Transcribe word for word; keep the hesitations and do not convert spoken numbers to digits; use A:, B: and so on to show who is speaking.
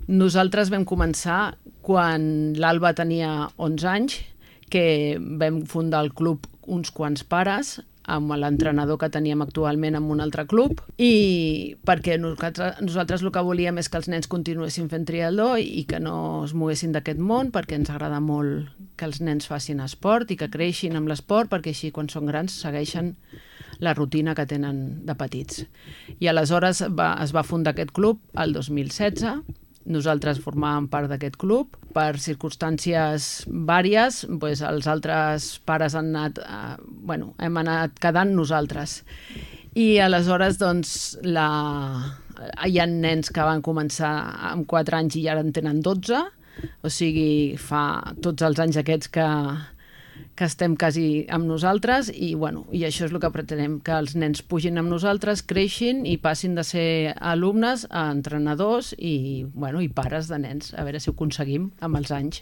A: Nosaltres vam començar quan l'Alba tenia onze anys, que vam fundar el club uns quants pares, amb l'entrenador que teníem actualment en un altre club, i perquè nosaltres, nosaltres el que volíem és que els nens continuessin fent triatló i que no es moguessin d'aquest món, perquè ens agrada molt que els nens facin esport i que creixin amb l'esport, perquè així quan són grans segueixen la rutina que tenen de petits. I aleshores va, es va fundar aquest club el dos mil setze. Nosaltres formàvem part d'aquest club. Per circumstàncies vàries, doncs els altres pares han anat, eh, bueno, hem anat quedant nosaltres. I aleshores, doncs, la... hi ha nens que van començar amb quatre anys i ara en tenen dotze, o sigui, fa tots els anys aquests que, que estem quasi amb nosaltres i, bueno, i això és el que pretenem, que els nens pugin amb nosaltres, creixin i passin de ser alumnes a entrenadors i, bueno, i pares de nens, a veure si ho aconseguim amb els anys.